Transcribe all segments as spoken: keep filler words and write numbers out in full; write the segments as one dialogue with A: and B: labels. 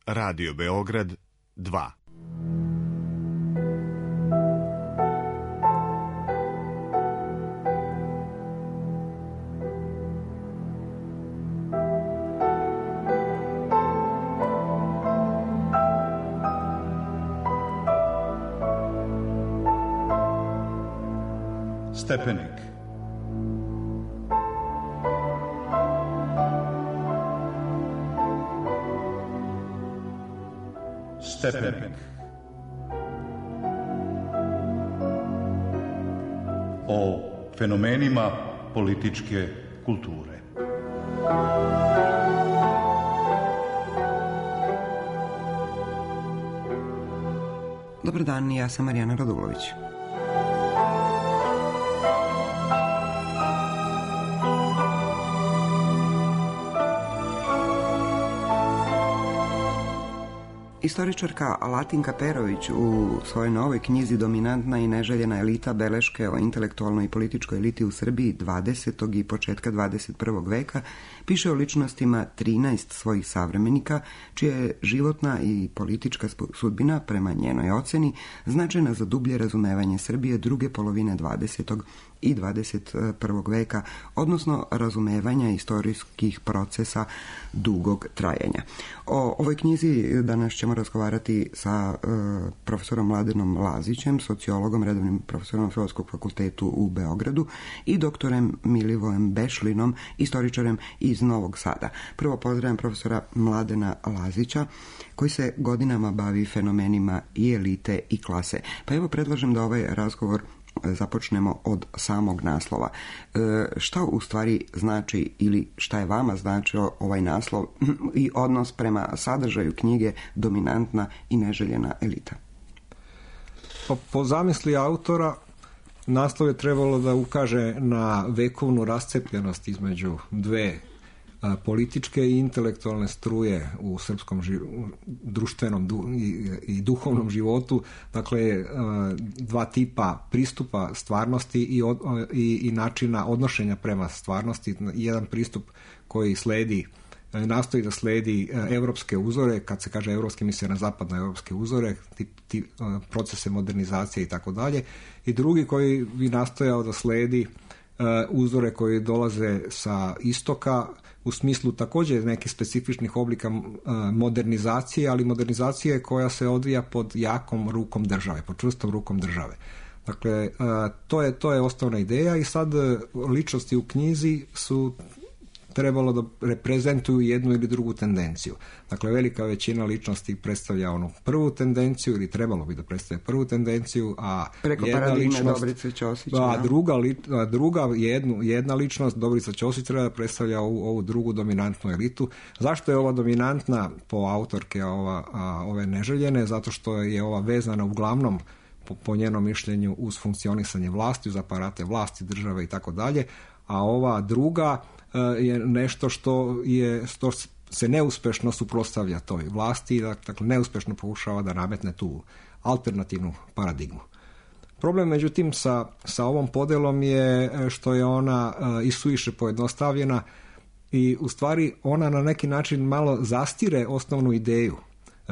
A: Radio Beograd dva.
B: Stepenik. Stepenik. O fenomenima političke kulture.
C: Dobar dan, ja sam Marijana Radulović. Istoričarka Latinka Perović u svojoj novoj knjizi Dominantna i neželjena elita beleške o intelektualnoj i političkoj eliti u Srbiji dvadesetog i početka dvadeset prvog veka piše o ličnostima trinaest svojih savremenika, čija je životna i politička sudbina, prema njenoj oceni, značajna za dublje razumevanje Srbije druge polovine dvadesetog i dvadeset prvog veka, odnosno razumevanja istorijskih procesa dugog trajanja. O ovoj knjizi danas ćemo razgovarati sa uh, profesorom Mladenom Lazićem, sociologom, redovnim profesorom Filozofskog fakultetu u Beogradu i doktorem Milivojem Bešlinom, istoričarem iz Novog Sada. Prvo pozdravljam profesora Mladena Lazića, koji se godinama bavi fenomenima i elite i klase. Pa evo predlažem da ovaj razgovor započnemo od samog naslova. E, šta u stvari znači ili šta je vama značio ovaj naslov i odnos prema sadržaju knjige Dominantna i neželjena elita?
D: Po, po zamisli autora naslov je trebalo da ukaže na vekovnu rascepljenost između dve a, političke i intelektualne struje u srpskom živ, društvenom du, i, i duhovnom životu, dakle a, dva tipa pristupa stvarnosti i, od, i, i načina odnošenja prema stvarnosti. Jedan pristup koji sledi nastoji da sledi evropske uzore, kad se kaže evropske, misle na zapadne evropske uzore, tip, tip, procese modernizacije i tako dalje, i drugi koji bi nastojao da sledi uh, uzore koji dolaze sa istoka, u smislu također nekih specifičnih oblika uh, modernizacije, ali modernizacije koja se odvija pod jakom rukom države, pod čvrstom rukom države. Dakle, uh, to je, to je osnovna ideja i sad uh, ličnosti u knjizi su trebalo da reprezentuju jednu ili drugu tendenciju. Dakle, velika većina ličnosti predstavlja onu prvu tendenciju ili trebalo bi da predstavlja prvu tendenciju, a
C: preko
D: jedna
C: paradigme
D: ličnost,
C: Dobrice Ćosić,
D: a druga, a druga jednu, jedna ličnost, Dobrica Ćosić, treba da predstavlja ovu, ovu drugu dominantnu elitu. Zašto je ova dominantna po autorke ova, a, ove neželjene? Zato što je ova vezana uglavnom po, po njenom mišljenju uz funkcionisanje vlasti, uz aparate vlasti, države i tako dalje, a ova druga je nešto što je što se neuspešno suprotstavlja toj vlasti, dakle neuspešno pokušava da nametne tu alternativnu paradigmu. Problem međutim sa, sa ovom podelom je što je ona uh, isuviše pojednostavljena i u stvari ona na neki način malo zastire osnovnu ideju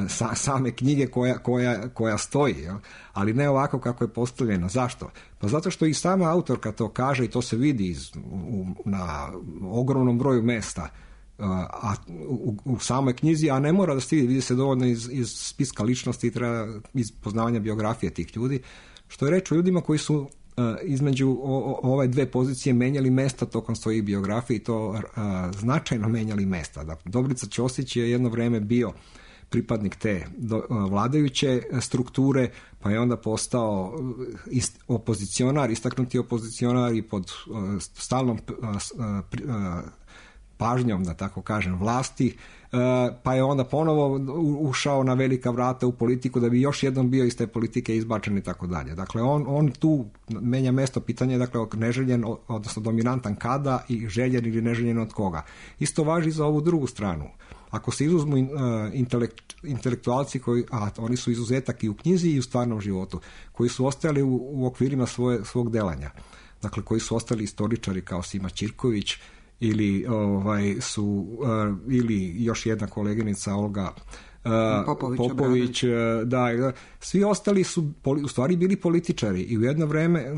D: Sa, same knjige koja, koja, koja stoji, jel? Ali ne ovako kako je postavljena. Zašto? Pa zato što i sama autorka to kaže i to se vidi iz, u, na ogromnom broju mesta a, u, u samoj knjizi, a ne mora da se vidi, vidi se dovoljno iz, iz spiska ličnosti i treba iz poznavanja biografije tih ljudi, što je reč o ljudima koji su Uh, između o, o, ove dve pozicije menjali mesta tokom svojih biografije i to uh, značajno menjali mesta. Dakle, Dobrica Ćosić je jedno vreme bio pripadnik te do, uh, vladajuće strukture, pa je onda postao ist, opozicionar, istaknuti opozicionar i pod uh, stalnom uh, uh, pažnjom, da tako kažem, vlasti, pa je onda ponovo ušao na velika vrata u politiku da bi još jednom bio iz te politike izbačen i tako dalje. Dakle, on, on tu menja mesto, pitanje je dakle neželjen, odnosno dominantan kada i željen ili neželjen od koga. Isto važi za ovu drugu stranu. Ako se izuzmu uh, intelekt, intelektualci koji, a oni su izuzetak i u knjizi i u stvarnom životu, koji su ostali u, u okvirima svoje, svog delanja, dakle koji su ostali istoričari kao Sima Ćirković, ili ovaj su uh, ili još jedna koleginica Olga
C: Popović,
D: Popović da, da, svi ostali su u stvari bili političari i u jedno vreme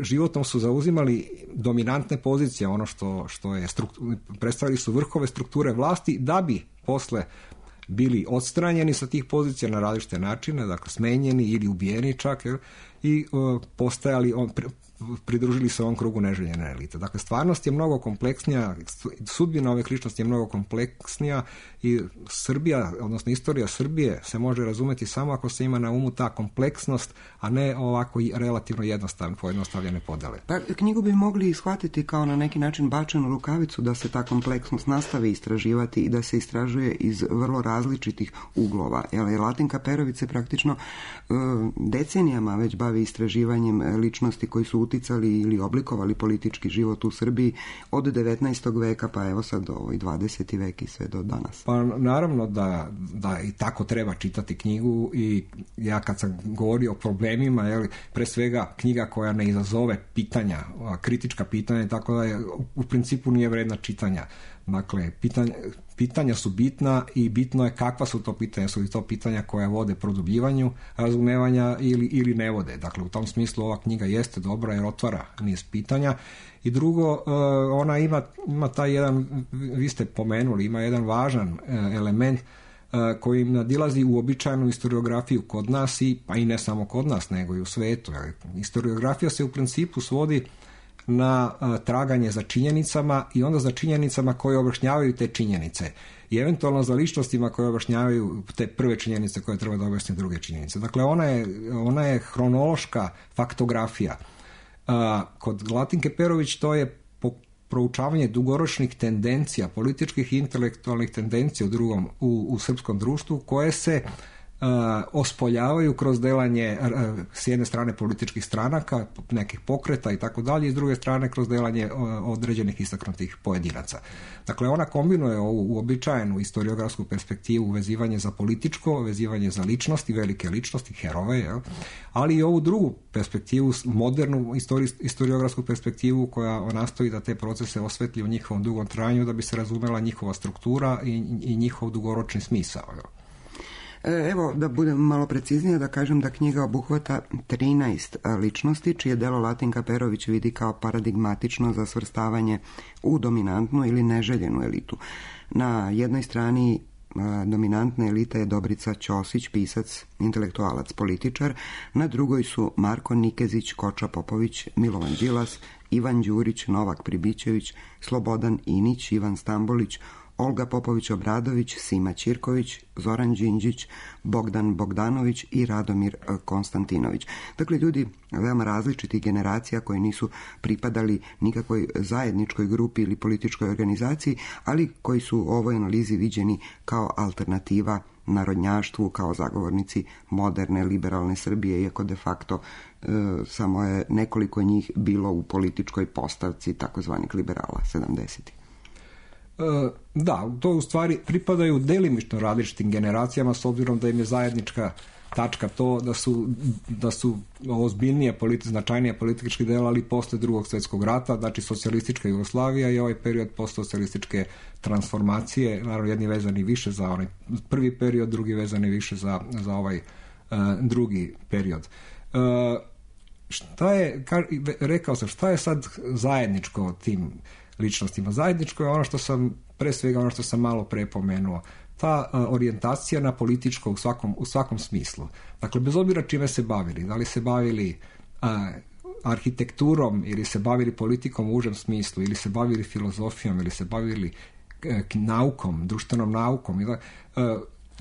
D: životnom su zauzimali dominantne pozicije, ono što, što je struktu, predstavili su vrhove strukture vlasti da bi posle bili odstranjeni sa tih pozicija na različite načine, dakle smenjeni ili ubijeni čak, jer, i uh, postajali, on, pridružili se ovom krugu neželjene elite. Dakle, stvarnost je mnogo kompleksnija, sudbina ove ličnosti je mnogo kompleksnija i Srbija, odnosno istorija Srbije se može razumeti samo ako se ima na umu ta kompleksnost, a ne ovako relativno jednostavne, pojednostavljene podele.
C: Pa knjigu bi mogli shvatiti kao na neki način bačenu rukavicu da se ta kompleksnost nastavi istraživati i da se istražuje iz vrlo različitih uglova. Jer Latinka Perović se praktično uh, decenijama već bavi istraživanjem ličnosti koji su uticali ili oblikovali politički život u Srbiji od devetnaestog veka pa evo sad do ovaj dvadeseti vek i sve do danas.
D: Pa naravno da, da i tako treba čitati knjigu i ja kad sam govorio o problemima, jel, pre svega knjiga koja ne izazove pitanja, kritička pitanja i tako da je, u principu nije vredna čitanja. Dakle, pitanja, pitanja su bitna i bitno je kakva su to pitanja. Su li to pitanja koja vode produbljivanju razumevanja ili, ili ne vode. Dakle, u tom smislu ova knjiga jeste dobra jer otvara niz pitanja. I drugo, ona ima, ima taj jedan, vi ste pomenuli, ima jedan važan element koji nadilazi uobičajenu historiografiju kod nas, i, pa i ne samo kod nas, nego i u svetu. Historiografija se u principu svodi na a, traganje za činjenicama i onda za činjenicama koje objašnjavaju te činjenice i eventualno za ličnostima koje objašnjavaju te prve činjenice koje treba da objasne druge činjenice. Dakle, ona je, ona je hronološka faktografija. A, kod Latinke Perović to je po, proučavanje dugoročnih tendencija, političkih i intelektualnih tendencija u drugom, u, u srpskom društvu koje se Uh, ospoljavaju kroz delanje uh, s jedne strane političkih stranaka, nekih pokreta i tako dalje, i s druge strane kroz delanje uh, određenih istaknutih pojedinaca. Dakle, ona kombinuje ovu uobičajenu historiografsku perspektivu, vezivanje za političko, vezivanje za ličnosti, velike ličnosti, heroje, jel? Ali i ovu drugu perspektivu, modernu histori- historiografsku perspektivu koja nastoji da te procese osvetli u njihovom dugom trajanju da bi se razumela njihova struktura i, i njihov dugoročni smisao. Jel?
C: Evo, da budem malo preciznije, da kažem da knjiga obuhvata trinaest ličnosti, čije delo Latinka Perović vidi kao paradigmatično za svrstavanje u dominantnu ili neželjenu elitu. Na jednoj strani dominantna elita je Dobrica Ćosić, pisac, intelektualac, političar, na drugoj su Marko Nikezić, Koča Popović, Milovan Đilas, Ivan Đurić, Novak Pribićević, Slobodan Inić, Ivan Stambolić, Olga Popović-Obradović, Sima Ćirković, Zoran Đinđić, Bogdan Bogdanović i Radomir Konstantinović. Dakle, ljudi veoma različitih generacija koji nisu pripadali nikakvoj zajedničkoj grupi ili političkoj organizaciji, ali koji su u ovoj analizi viđeni kao alternativa narodnjaštvu, kao zagovornici moderne, liberalne Srbije, iako de facto e, samo je nekoliko njih bilo u političkoj postavci takozvanih liberala sedamdesetih.
D: Da, to u stvari pripadaju delimično različitim generacijama s obzirom da im je zajednička tačka to da su, da su ozbiljnije, politi, značajnije politički delali posle drugog svjetskog rata, znači socijalistička Jugoslavija i ovaj period postsocijalističke transformacije, naravno jedni vezani više za onaj prvi period, drugi vezani više za, za ovaj uh, drugi period. Uh, šta je, ka, rekao sam, šta je sad zajedničko tim ličnostima? Zajedničko je ono što sam, pre svega ono što sam malo pre pomenuo, ta uh, orijentacija na političko u svakom, u svakom smislu. Dakle, bez obzira čime se bavili, da li se bavili uh, arhitekturom ili se bavili politikom u užem smislu, ili se bavili filozofijom, ili se bavili uh, naukom, društvenom naukom. Ili, uh,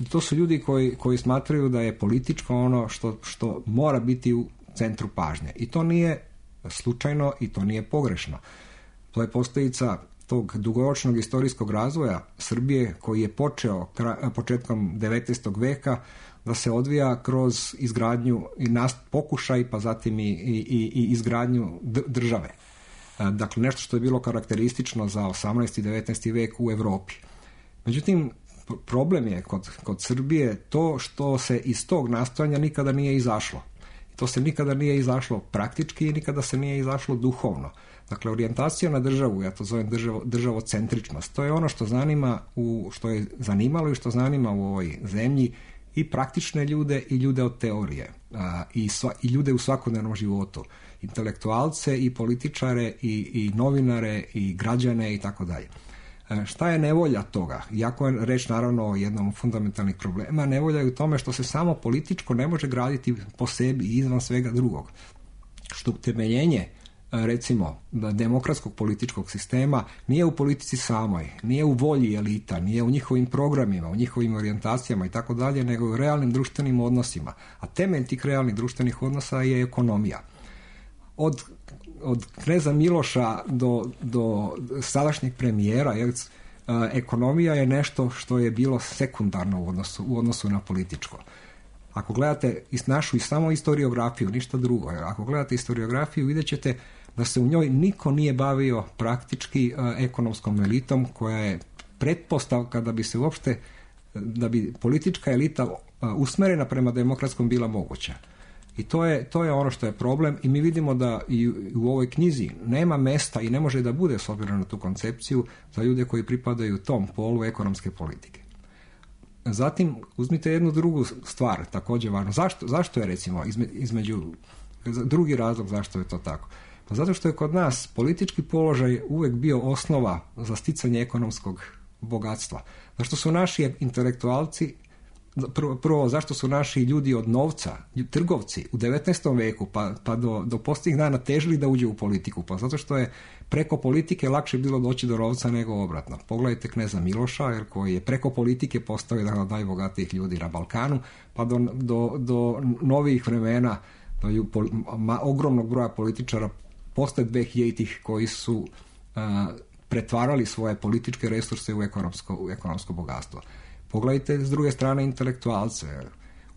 D: to su ljudi koji, koji smatraju da je političko ono što, što mora biti u centru pažnje. I to nije slučajno i to nije pogrešno. To je posljedica tog dugoročnog istorijskog razvoja Srbije koji je počeo početkom devetnaestog veka da se odvija kroz izgradnju i nast, pokušaj, pa zatim i, i, i izgradnju države. Dakle, nešto što je bilo karakteristično za osamnaesti i devetnaesti vek u Evropi. Međutim, problem je kod, kod Srbije to što se iz tog nastojanja nikada nije izašlo. To se nikada nije izašlo praktički i nikada se nije izašlo duhovno. Dakle, orijentacija na državu, ja to zovem državo, državocentričnost, to je ono što zanima, u, što je zanimalo i što zanima u ovoj zemlji i praktične ljude i ljude od teorije a, i, sva, i ljude u svakodnevnom životu, intelektualce i političare i, i novinare i građane i tako dalje. Šta je nevolja toga? Iako je reč naravno o jednom od fundamentalnih problema, nevolja je u tome što se samo političko ne može graditi po sebi i izvan svega drugog. Što utemeljenje, recimo, demokratskog političkog sistema nije u politici samoj, nije u volji elita, nije u njihovim programima, u njihovim orijentacijama i tako dalje, nego u realnim društvenim odnosima. A temelj tih realnih društvenih odnosa je ekonomija. Od od kneza Miloša do, do sadašnjeg premijera, jer, a, ekonomija je nešto što je bilo sekundarno u odnosu, u odnosu na političko. Ako gledate našu i samo historiografiju, ništa drugo, jer ako gledate historiografiju, vidjet ćete da se u njoj niko nije bavio praktički a, ekonomskom elitom, koja je pretpostavka da bi se uopšte, da bi politička elita a, usmerena prema demokratskom bila moguća. I to je, to je ono što je problem i mi vidimo da i u ovoj knjizi nema mesta i ne može da bude, s obzirom na tu koncepciju, za ljude koji pripadaju tom polu ekonomske politike. Zatim, uzmite jednu drugu stvar, također važno. Zašto, zašto je, recimo, između, drugi razlog zašto je to tako? Pa zato što je kod nas politički položaj uvijek bio osnova za sticanje ekonomskog bogatstva. Zašto su naši intelektualci, Prvo, prvo, zašto su naši ljudi od novca, trgovci u devetnaestom veku pa, pa do, do posljednjih dana težili da uđe u politiku? Pa zato što je preko politike lakše bilo doći do novca nego obratno. Pogledajte kneza Miloša, jer koji je preko politike postao jedan od najbogatijih ljudi na Balkanu, pa do, do, do novih vremena, do pol, ma, ogromnog broja političara posle dvehiljaditih koji su a, pretvarali svoje političke resurse u ekonomsko, u ekonomsko bogatstvo. Pogledajte s druge strane intelektualce.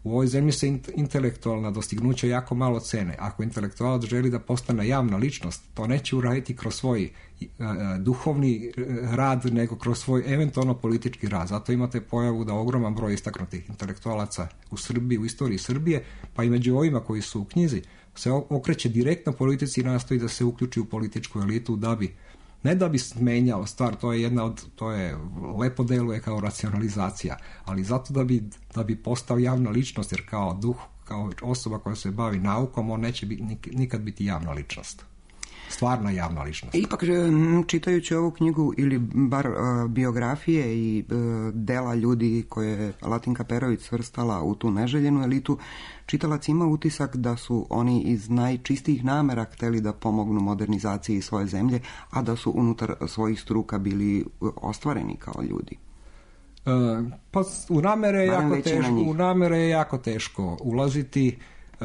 D: U ovoj zemlji se intelektualna dostignuća jako malo cene. Ako intelektualac želi da postane javna ličnost, to neće uraditi kroz svoj uh, duhovni rad, nego kroz svoj eventualno politički rad. Zato imate pojavu da ogroman broj istaknutih intelektualaca u Srbiji, u istoriji Srbije, pa i među ovima koji su u knjizi, se okreće direktno politici i nastoji da se uključi u političku elitu da bi ne da bi menjao stvar, to je jedna od, to je, lepo deluje kao racionalizacija, ali zato da bi, da bi postao javna ličnost, jer kao duh, kao osoba koja se bavi naukom, on neće biti, nikad biti javna ličnost. Stvarna javna ličnost.
C: Ipak, čitajući ovu knjigu ili bar uh, biografije i uh, dela ljudi koje je Latinka Perović svrstala u tu neželjenu elitu, čitalac ima utisak da su oni iz najčistijih namera hteli da pomognu modernizaciji svoje zemlje, a da su unutar svojih struka bili ostvareni kao ljudi.
D: Uh, pa u namere je jako teško, u namere je jako teško ulaziti.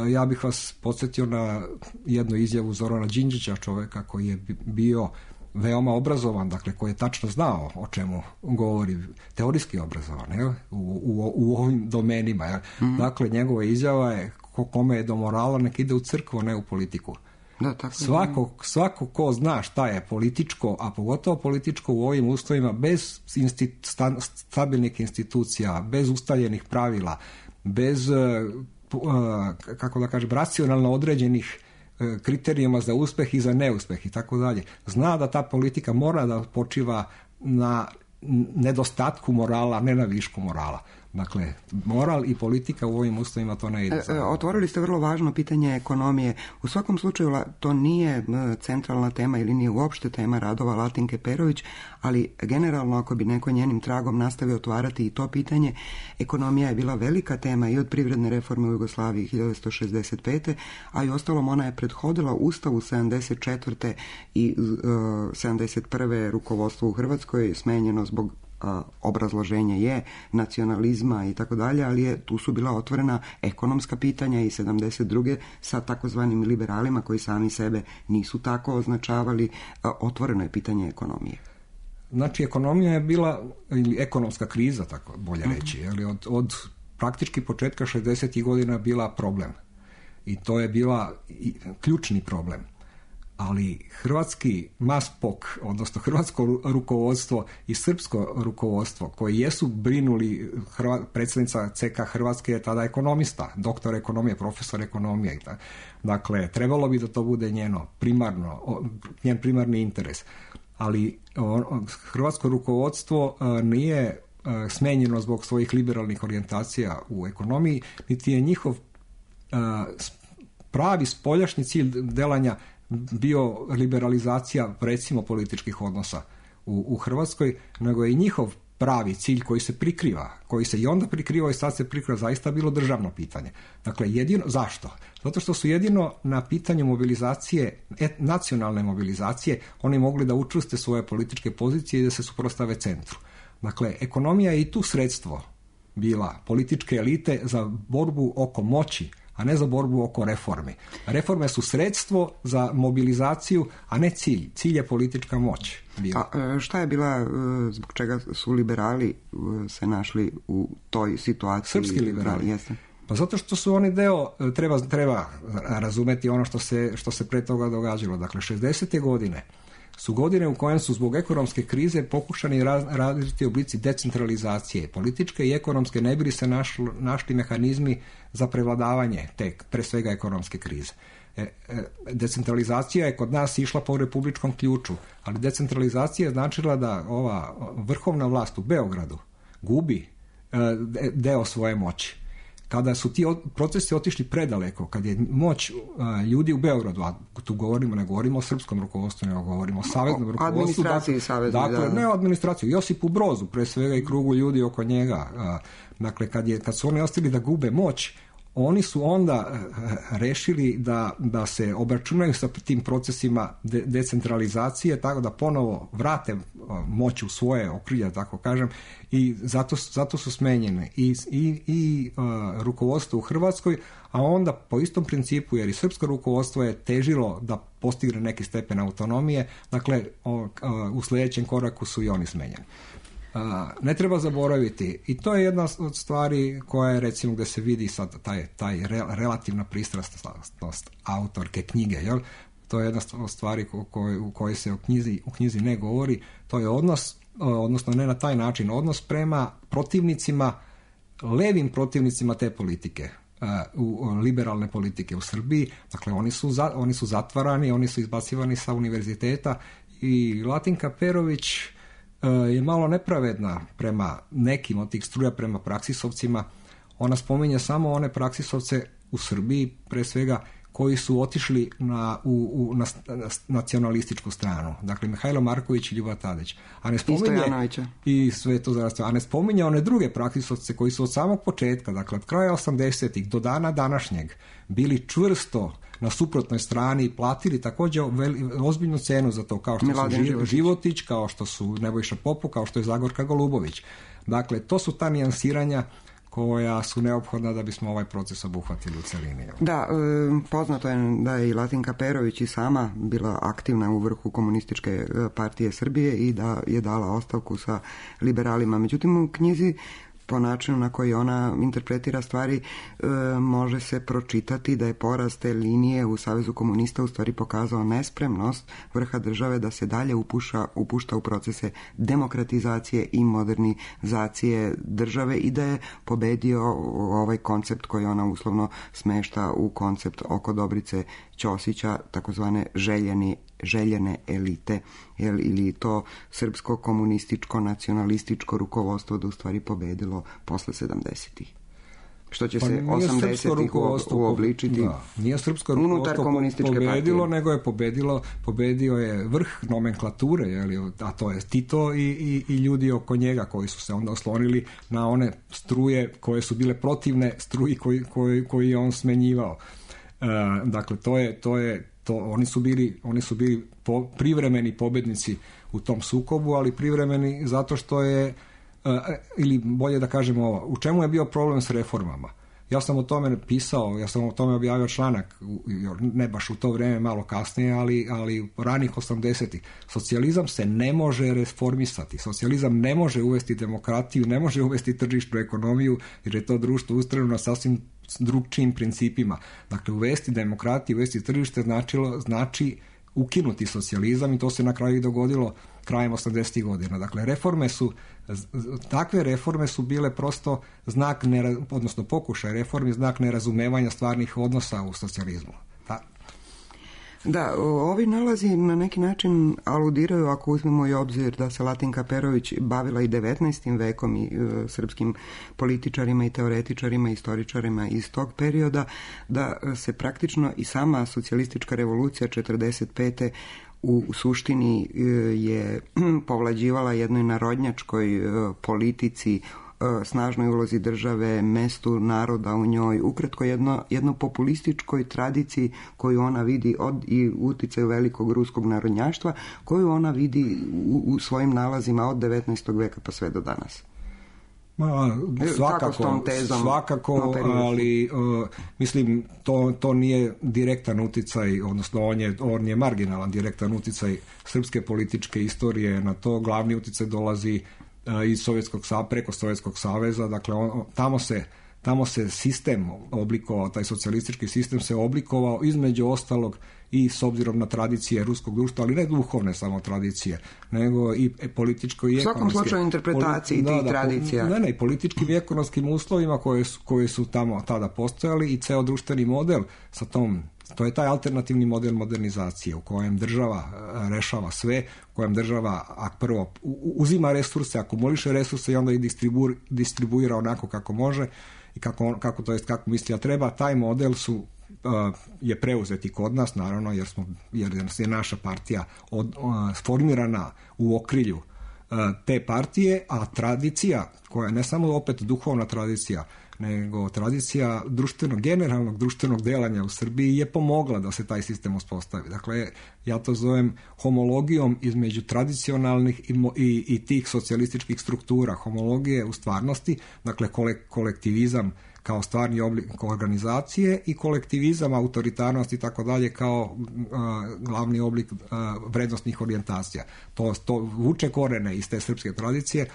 D: Ja bih vas podsjetio na jednu izjavu Zorana Đinđića, čovjeka koji je bio veoma obrazovan, dakle koji je tačno znao o čemu govori, teorijski obrazovan, je, u, u, u ovim domenima. Je. Mm-hmm. Dakle, njegova izjava je ko, kome je do morala, nek ide u crkvu, ne u politiku.
C: Da, tako
D: svako, svako ko zna šta je političko, a pogotovo političko u ovim uslovima, bez insti, sta, stabilnih institucija, bez ustaljenih pravila, bez kako da kažem, racionalno određenih kriterijuma za uspeh i za neuspeh i tako dalje. Zna da ta politika mora da počiva na nedostatku morala, ne na višku morala. Dakle, moral i politika u ovim uslovima to ne ide.
C: E, otvorili ste vrlo važno pitanje ekonomije. U svakom slučaju to nije centralna tema ili nije uopšte tema radova Latinke Perović, ali generalno ako bi neko njenim tragom nastavio otvarati i to pitanje, ekonomija je bila velika tema i od privredne reforme u Jugoslaviji hiljadu devetsto šezdeset pete, a i ostalom ona je prethodila Ustavu sedamdeset četvrte i uh, sedamdeset prve rukovodstvo u Hrvatskoj smenjeno zbog obrazloženje je nacionalizma i tako dalje, ali je, tu su bila otvorena ekonomska pitanja i sedamdeset druge sa takozvanim liberalima koji sami sebe nisu tako označavali, otvoreno je pitanje ekonomije.
D: Znači, ekonomija je bila, ili ekonomska kriza, tako bolje reći, mm-hmm. ali od, od praktički početka šezdesetih godina bila problem. I to je bila i, ključni problem. ali hrvatski maspok, odnosno hrvatsko rukovodstvo i srpsko rukovodstvo koji jesu brinuli, Hrva, predsjednica C K Hrvatske je tada ekonomista, doktor ekonomije, profesor ekonomije. Dakle, trebalo bi da to bude njeno primarno, njen primarni interes. Ali on, hrvatsko rukovodstvo nije smenjeno zbog svojih liberalnih orijentacija u ekonomiji, niti je njihov pravi spoljašnji cilj delanja bio liberalizacija, recimo, političkih odnosa u, u Hrvatskoj, nego je i njihov pravi cilj koji se prikriva, koji se i onda prikrivao i sad se prikriva, zaista bilo državno pitanje. Dakle, jedino, zašto? Zato što su jedino na pitanju mobilizacije, et, nacionalne mobilizacije, oni mogli da učvrste svoje političke pozicije i da se suprotstave centru. Dakle, ekonomija je i tu sredstvo bila političke elite za borbu oko moći, a ne za borbu oko reformi. Reforme su sredstvo za mobilizaciju, a ne cilj. Cilj je politička moć.
C: Bila. A šta je bila, zbog čega su liberali se našli u toj situaciji?
D: Srpski liberali.
C: Jeste.
D: Pa zato što su oni deo, treba, treba razumeti ono što se, što se pre toga događalo. Dakle, šezdesete godine su godine u kojem su zbog ekonomske krize pokušani različiti oblici decentralizacije. Političke i ekonomske ne bi se našli, našli mehanizmi za prevladavanje te, pre svega, ekonomske krize. E, e, decentralizacija je kod nas išla po republičkom ključu, ali decentralizacija je značila da ova vrhovna vlast u Beogradu gubi e, deo svoje moći. Kada su ti procesi otišli predaleko, kad je moć uh, ljudi u Beogradu, a tu govorimo, ne govorimo o srpskom rukovodstvu, nego govorimo o saveznom rukovodstvu.
C: Administraciji savezne,
D: dakle,
C: da.
D: Ne o administraciji, Josipu Brozu, pre svega i krugu ljudi oko njega. Uh, dakle, kad, je, kad su oni ostali da gube moć, oni su onda uh, rešili da, da se obračunaju sa tim procesima de, decentralizacije, tako da ponovo vrate uh, moć u svoje okrilje, tako kažem, i zato, zato su smenjene i, i, i uh, rukovodstvo u Hrvatskoj, a onda po istom principu, jer i srpsko rukovodstvo je težilo da postigne neki stepen autonomije, dakle o, uh, u sljedećem koraku su i oni smenjeni. Uh, ne treba zaboraviti, i to je jedna od stvari koja je, recimo, gde se vidi sad taj, taj re, relativna pristrasnost autorke knjige, jel? To je jedna od stvari u kojoj, u kojoj se u knjizi, u knjizi ne govori, to je odnos, odnosno ne na taj način, odnos prema protivnicima, levim protivnicima te politike, u liberalne politike u Srbiji. Dakle, oni su, za, oni su zatvarani, oni su izbacivani sa univerziteta i Latinka Perović je malo nepravedna prema nekim od tih struja, prema praksisovcima. Ona spominje samo one praksisovce u Srbiji, pre svega, koji su otišli na, u, u, na, na nacionalističku stranu. Dakle, Mihajlo Marković i Ljuba Tadić. A ne spominje, i sve to zaraz, a ne spominje one druge praksisovce koji su od samog početka, dakle od kraja osamdesetih do dana današnjeg, bili čvrsto na suprotnoj strani i platili također veli, ozbiljnu cenu za to, kao što Miladin su Životić. Životić, kao što su Nebojša Popu, kao što je Zagorka Golubović. Dakle, to su ta nijansiranja koja su neophodna da bismo ovaj proces obuhvatili u celini.
C: Da, poznato je da je i Latinka Perović i sama bila aktivna u vrhu Komunističke partije Srbije i da je dala ostavku sa liberalima. Međutim, u knjizi, po načinu na koji ona interpretira stvari, e, može se pročitati da je poraz te linije u Savezu komunista u stvari pokazao nespremnost vrha države da se dalje upuša, upušta u procese demokratizacije i modernizacije države i da je pobedio ovaj koncept koji ona uslovno smešta u koncept oko Dobrice Ćosića, takozvane željeni željene elite, jel, ili to srpsko komunističko nacionalističko rukovodstvo da u stvari pobedilo posle sedamdesetih. Što će pa se osamdesetih uobličiti
D: da, nije srpsko rukovodstvo pobedilo, partije. Nego je pobedilo, pobedio je vrh nomenklature, jel, a to je Tito i, i, i ljudi oko njega koji su se onda oslonili na one struje koje su bile protivne struji koji, koji, koji je on smenjivao. E, dakle, to je, to je To, oni su bili, oni su bili po, privremeni pobednici u tom sukobu, ali privremeni zato što je, uh, ili bolje da kažemo ovo, u čemu je bio problem s reformama? Ja sam o tome pisao, ja sam o tome objavio članak, ne baš u to vrijeme, malo kasnije, ali, ali ranih osamdesetih. Socijalizam se ne može reformisati, socijalizam ne može uvesti demokratiju, ne može uvesti tržišnu ekonomiju, jer je to društvo ustrojeno na sasvim s drugčijim principima. Dakle, uvesti demokratiju, uvesti tržište značilo, znači ukinuti socijalizam i to se na kraju i dogodilo krajem osamdesetih godina. Dakle, reforme su, takve reforme su bile prosto znak, nera, odnosno pokušaj reformi, znak nerazumevanja stvarnih odnosa u socijalizmu. Ta,
C: Da, ovi nalazi na neki način aludiraju, ako uzmemo i obzir da se Latinka Perović bavila i devetnaestim vekom i e, srpskim političarima i teoretičarima i istoričarima iz tog perioda, da se praktično i sama socijalistička revolucija četrdeset pete u suštini e, je povlađivala jednoj narodnjačkoj e, politici, snažnoj ulozi države, mestu naroda u njoj, ukratko jedno, jedno populističkoj tradiciji koju ona vidi od i uticaju velikog ruskog narodnjaštva, koju ona vidi u, u svojim nalazima od devetnaestog veka pa sve do danas.
D: Ma, svakako, svakako, ali uh, mislim to, to nije direktan uticaj, odnosno on je, on je marginalan direktan uticaj srpske političke istorije na to. Glavni uticaj dolazi iz Sovjetskog, preko Sovjetskog saveza, dakle on, tamo se tamo se sistem oblikovao, taj socijalistički sistem se oblikovao između ostalog i s obzirom na tradicije ruskog društva, ali ne duhovne samo tradicije, nego i političko i ekonomske. U svakom slučaju
C: interpretaciji
D: poli,
C: tih
D: da,
C: tradicija.
D: Ne, ne, i političkim i ekonomskim uslovima koje su, koje su tamo tada postojali i ceo društveni model sa tom. To je taj alternativni model modernizacije u kojem država rešava sve, u kojem država a prvo uzima resurse, akumuliše resurse i onda ih distribu, distribuira onako kako može i kako, kako to jest kako misli da treba. Taj model su uh, je preuzeti kod nas, naravno, jer smo jer je naša partija od, uh, formirana u okrilju uh, te partije, a tradicija koja je ne samo opet duhovna tradicija, nego tradicija društvenog, generalnog društvenog delanja u Srbiji je pomogla da se taj sistem uspostavi. Dakle, ja to zovem homologijom između tradicionalnih i, i, i tih socijalističkih struktura. Homologije u stvarnosti, dakle kolektivizam kao stvarni oblik organizacije i kolektivizam, autoritarnost i tako dalje kao a, glavni oblik a, vrednostnih orijentacija. To, to vuče korene iz te srpske tradicije.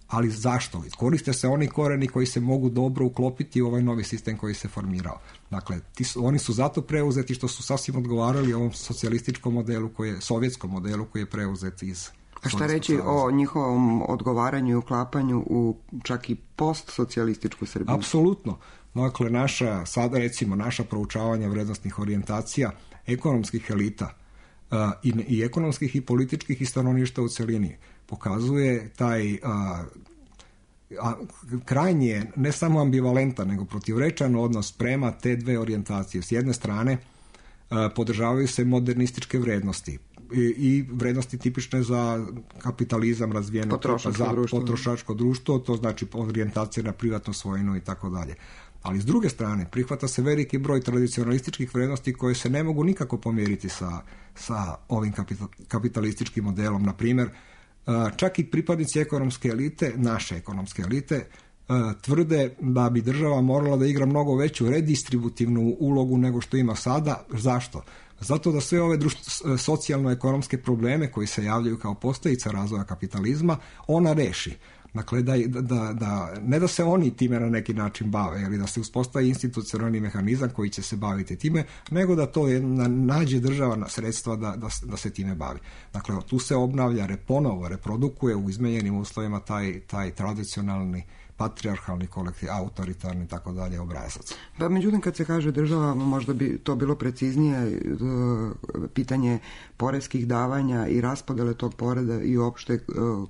D: Ali zašto? Koriste se oni koreni koji se mogu dobro uklopiti u ovaj novi sistem koji se formirao. Dakle, ti su, oni su zato preuzeti što su sasvim odgovarali ovom socijalističkom modelu, koji je, sovjetskom modelu koji je preuzet iz...
C: A šta reći o njihovom odgovaranju i uklapanju u čak i post-socijalističku Srbiju?
D: Apsolutno. Dakle, naša, sada recimo, naša proučavanja vrednostnih orijentacija ekonomskih elita uh, i, i ekonomskih i političkih i stanovništva u celini pokazuje taj a, a, krajnje, ne samo ambivalentan, nego protivrečan odnos prema te dve orijentacije. S jedne strane a, podržavaju se modernističke vrednosti i, i vrednosti tipične za kapitalizam razvijeno,
C: potrošačko
D: za
C: društvo.
D: potrošačko društvo, to znači orijentacija na privatnu svojinu i tako dalje. Ali s druge strane, prihvata se veliki broj tradicionalističkih vrednosti koje se ne mogu nikako pomjeriti sa, sa ovim kapitalističkim modelom. Na primjer, čak i pripadnici ekonomske elite, naše ekonomske elite, tvrde da bi država morala da igra mnogo veću redistributivnu ulogu nego što ima sada. Zašto? Zato da sve ove društvo, socijalno-ekonomske probleme koji se javljaju kao posljedica razvoja kapitalizma, ona reši. Dakle, da, da, da, ne da se oni time na neki način bave, ili da se uspostavi institucionalni mehanizam koji će se baviti time, nego da to je, na, nađe država na sredstva da, da, da se time bavi. Dakle, tu se obnavlja, reponovo, reprodukuje u izmenjenim uslovima taj, taj tradicionalni patrijarhalni kolektiv, autoritarni, tako dalje, obrazac.
C: Pa međutim, kad se kaže država, možda bi to bilo preciznije, pitanje poreskih davanja i raspodele tog poreda i uopšte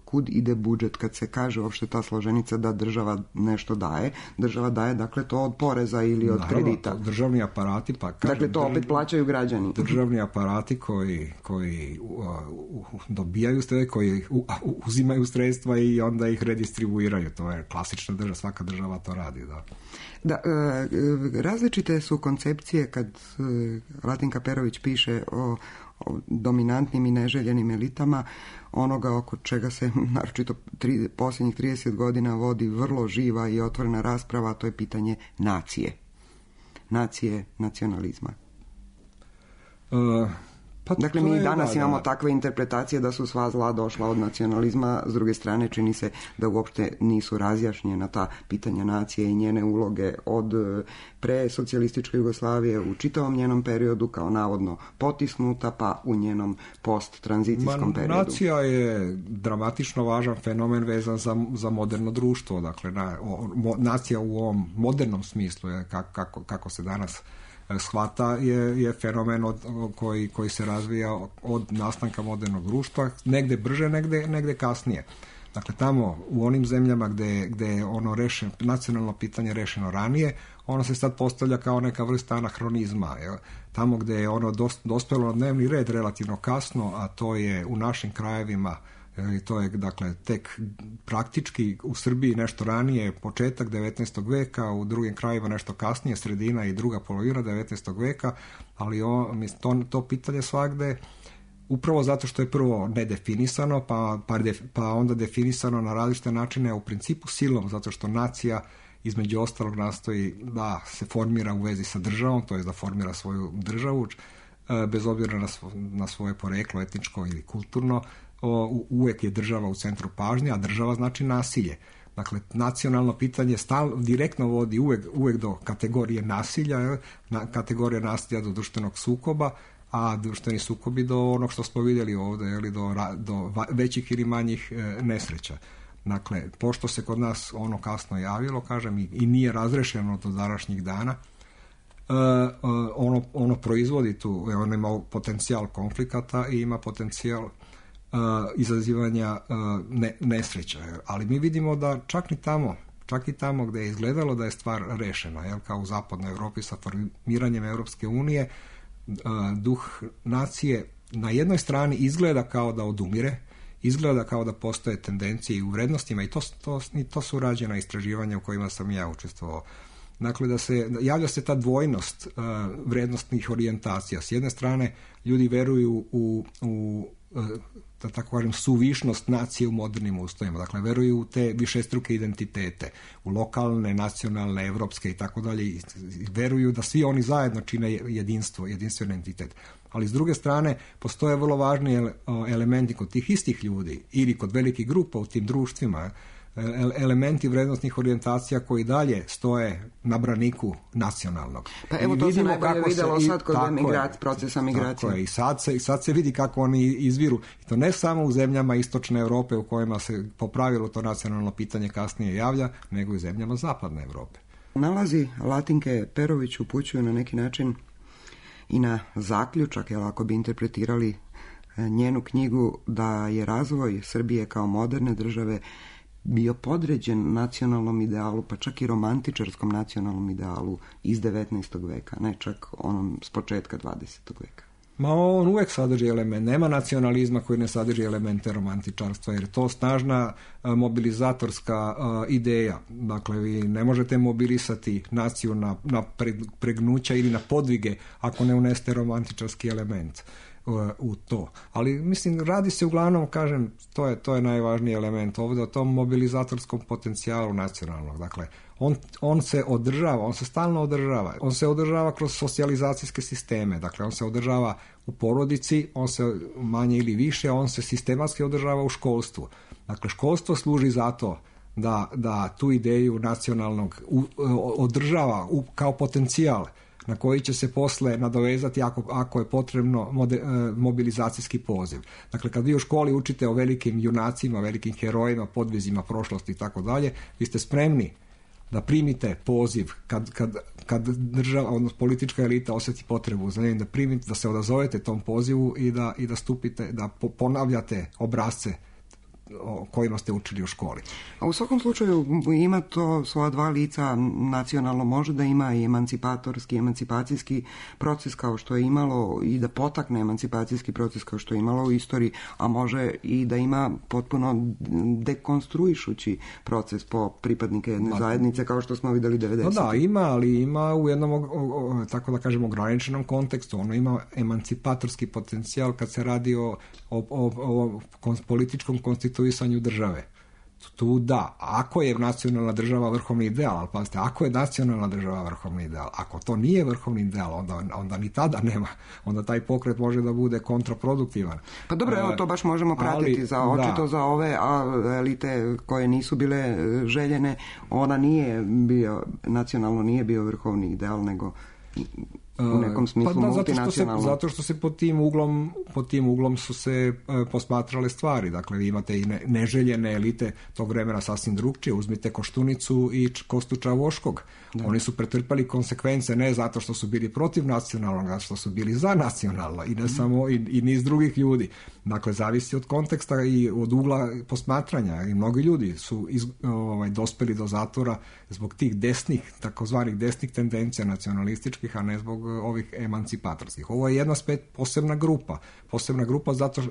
C: kud ide budžet, kad se kaže uopšte ta složenica da država nešto daje. Država daje, dakle, to od poreza ili od
D: Naravno,
C: kredita.
D: Državni aparati, pa kažem,
C: dakle, to opet plaćaju građani.
D: Državni aparati koji, koji uh, uh, dobijaju sredstva, koji uh, uzimaju sredstva i onda ih redistribuiraju. To je klasična država, svaka država to radi, da.
C: Da, različite su koncepcije kad Latinka Perović piše o, o dominantnim i neželjenim elitama, onoga oko čega se naročito tri, posljednjih trideset godina vodi vrlo živa i otvorena rasprava, a to je pitanje nacije. Nacije, nacionalizma.
D: Uh,
C: Pa dakle, mi danas da, imamo da. takve interpretacije da su sva zla došla od nacionalizma, s druge strane čini se da uopšte nisu razjašnjena ta pitanja nacije i njene uloge od pre socijalističke Jugoslavije u čitavom njenom periodu kao navodno potisnuta, pa u njenom post-tranzicijskom Ma, periodu.
D: Nacija je dramatično važan fenomen vezan za, za moderno društvo, dakle na, o, mo, nacija u ovom modernom smislu je kako, kako se danas shvata je, je fenomen od, koji, koji se razvija od nastanka modernog društva, negde brže, negde, negde kasnije. Dakle, tamo u onim zemljama gde, gde je ono rešen, nacionalno pitanje rešeno ranije, ono se sad postavlja kao neka vrsta anahronizma. Jel? Tamo gde je ono dospelo na dnevni red relativno kasno, a to je u našim krajevima, i to je dakle tek praktički u Srbiji nešto ranije, početak devetnaestog veka, u drugim krajevima nešto kasnije, sredina i druga polovina devetnaestog veka, ali on, to, to pitanje svagde upravo zato što je prvo nedefinisano, pa, pa, def, pa onda definisano na različite načine, u principu silom, zato što nacija između ostalog nastoji da se formira u vezi sa državom, to je da formira svoju državu, bez obzira na, svo, na svoje poreklo, etničko ili kulturno. O, uvek je država u centru pažnje, a država znači nasilje. Dakle, nacionalno pitanje stal, direktno vodi uvek, uvek do kategorije nasilja, na, kategorija nasilja do društvenog sukoba, a društveni sukobi do onog što smo vidjeli ovdje, ili do, do većih ili manjih e, nesreća. Dakle, pošto se kod nas ono kasno javilo, kažem, i, i nije razrešeno do današnjih dana, e, ono, ono proizvodi tu, ono ima potencijal konflikata i ima potencijal Uh, izazivanja uh, ne, nesreća. Ali mi vidimo da čak i tamo, čak i tamo gdje je izgledalo da je stvar rešena, jel, kao u zapadnoj Evropi sa formiranjem Evropske unije, uh, duh nacije na jednoj strani izgleda kao da odumire, izgleda kao da postoje tendencije i u vrednostima i to, to, i to su rađena istraživanja u kojima sam ja učestvovao. Dakle, da se javlja se ta dvojnost uh, vrednostnih orijentacija. S jedne strane, ljudi veruju u, u da tako kažem, suvišnost nacije u modernim ustojima. Dakle, veruju u te višestruke identitete, u lokalne, nacionalne, evropske i tako dalje. I veruju da svi oni zajedno čine jedinstvo, jedinstven entitet. Ali s druge strane, postoje vrlo važni elementi kod tih istih ljudi ili kod velikih grupa u tim društvima, elementi vrednostnih orijentacija koji dalje stoje na braniku nacionalnog.
C: Pa evo to se najbolje vidjelo se, sad kod emigrac, procesa migracije.
D: Tako je, i sad se, sad se vidi kako oni izviru. I to ne samo u zemljama istočne Europe u kojima se po pravilu to nacionalno pitanje kasnije javlja, nego i u zemljama zapadne Europe.
C: Nalazi Latinke Perović upućuju na neki način i na zaključak, jer ako bi interpretirali njenu knjigu, da je razvoj Srbije kao moderne države bio podređen nacionalnom idealu, pa čak i romantičarskom nacionalnom idealu iz devetnaestog veka, ne čak onom s početka dvadesetog veka.
D: Ma on uvek sadrži element, nema nacionalizma koji ne sadrži elemente romantičarstva, jer je to snažna a, mobilizatorska a, ideja. Dakle, vi ne možete mobilisati naciju na, na pregnuća ili na podvige ako ne uneste romantičarski element u to. Ali mislim, radi se uglavnom, kažem, to je, to je najvažniji element ovdje, o tom mobilizatorskom potencijalu nacionalnog. Dakle, on, on se održava, on se stalno održava. On se održava kroz socijalizacijske sisteme. Dakle, on se održava u porodici, on se manje ili više, on se sistematski održava u školstvu. Dakle, školstvo služi za to da, da tu ideju nacionalnog u, održava u, kao potencijal na koji će se posle nadovezati ako, ako je potrebno mode, mobilizacijski poziv. Dakle, kad vi u školi učite o velikim junacima, velikim herojima, podvizima prošlosti i tako dalje, vi ste spremni da primite poziv kad, kad, kad država, odnosno politička elita osjeti potrebu za njim, da primite, da se odazovete tom pozivu i da, i da stupite, da ponavljate obrasce o kojima ste učili u školi.
C: A u svakom slučaju ima to svoja dva lica. Nacionalno može da ima i emancipatorski, emancipacijski proces kao što je imalo i da potakne emancipacijski proces kao što je imalo u istoriji, a može i da ima potpuno dekonstruišući proces po pripadnike jedne Ma, zajednice kao što smo vidjeli devedesetih.
D: No da, ima, ali ima u jednom, o, o, tako da kažem, ograničenom kontekstu. Ono ima emancipatorski potencijal kad se radi o, o, o, o političkom konstituisanju države. Tu da, ako je nacionalna država vrhovni ideal, ali pazite, ako je nacionalna država vrhovni ideal, ako to nije vrhovni ideal, onda, onda ni tada nema, onda taj pokret može da bude kontraproduktivan.
C: Pa dobro, evo to baš možemo pratiti,
D: ali,
C: za očito da. Za ove elite koje nisu bile željene, ona nije bio, nacionalno nije bio vrhovni ideal, nego u nekom smislu
D: pa da,
C: multinacionalno.
D: Zato, zato što se pod tim uglom, pod tim uglom su se e, posmatrale stvari. Dakle, vi imate i ne, neželjene elite tog vremena sasvim drugčije. Uzmite Koštunicu i Kostu Čavoškog. Da. Oni su pretrpali konsekvence ne zato što su bili protiv nacionalnog, zato što su bili za nacionalno i ne mm. samo i, i niz drugih ljudi. Dakle, zavisi od konteksta i od ugla posmatranja. I mnogi ljudi su iz, ovaj, dospeli do zatvora zbog tih desnih, takozvanih desnih tendencija nacionalističkih, a ne zbog ovih emancipatorskih. Ovo je jedna spet posebna grupa. Posebna grupa zato uh,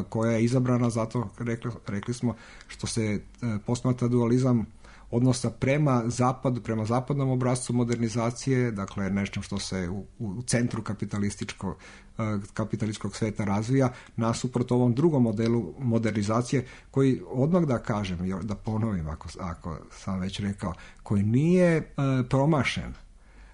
D: koja je izabrana zato, rekli, rekli smo, što se uh, posmatra dualizam odnosa prema zapadu, prema zapadnom obrascu modernizacije, dakle nešto što se u, u centru kapitalističkog, uh, kapitalističkog sveta razvija, nasuprot ovom drugom modelu modernizacije, koji odmah da kažem, da ponovim ako, ako sam već rekao, koji nije uh, promašen,